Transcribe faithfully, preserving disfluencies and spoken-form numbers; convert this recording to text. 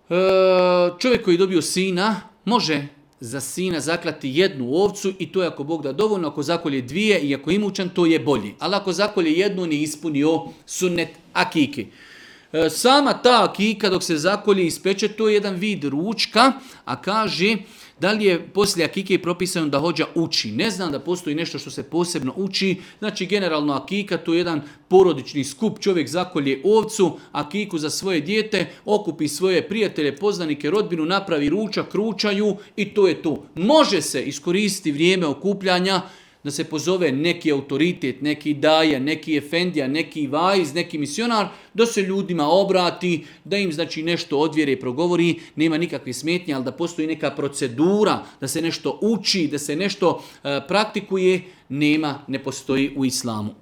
E, čovjek koji je dobio sina, može za sina zaklati jednu ovcu i to je ako Bog da dovoljno, ako zakolje dvije i ako je imućan, to je bolji. Ali ako zakolje jednu, nije ispunio sunnet akike. E, sama ta akika dok se zakolje i ispeče, to je jedan vid ručka, a kaže da li je poslije akike propisano da hođa uči. Ne znam da postoji nešto što se posebno uči. Znači generalno akika to je jedan porodični skup. Čovjek zakolje ovcu, akiku za svoje dijete, okupi svoje prijatelje, poznanike, rodbinu, napravi ručak, ručaju i to je to. Može se iskoristiti vrijeme okupljanja da se pozove neki autoritet, neki daja, neki efendija, neki vajz, neki misionar, da se ljudima obrati, da im znači nešto odvjere i progovori, nema nikakve smetnje, ali da postoji neka procedura, da se nešto uči, da se nešto uh, praktikuje, nema, ne postoji u islamu.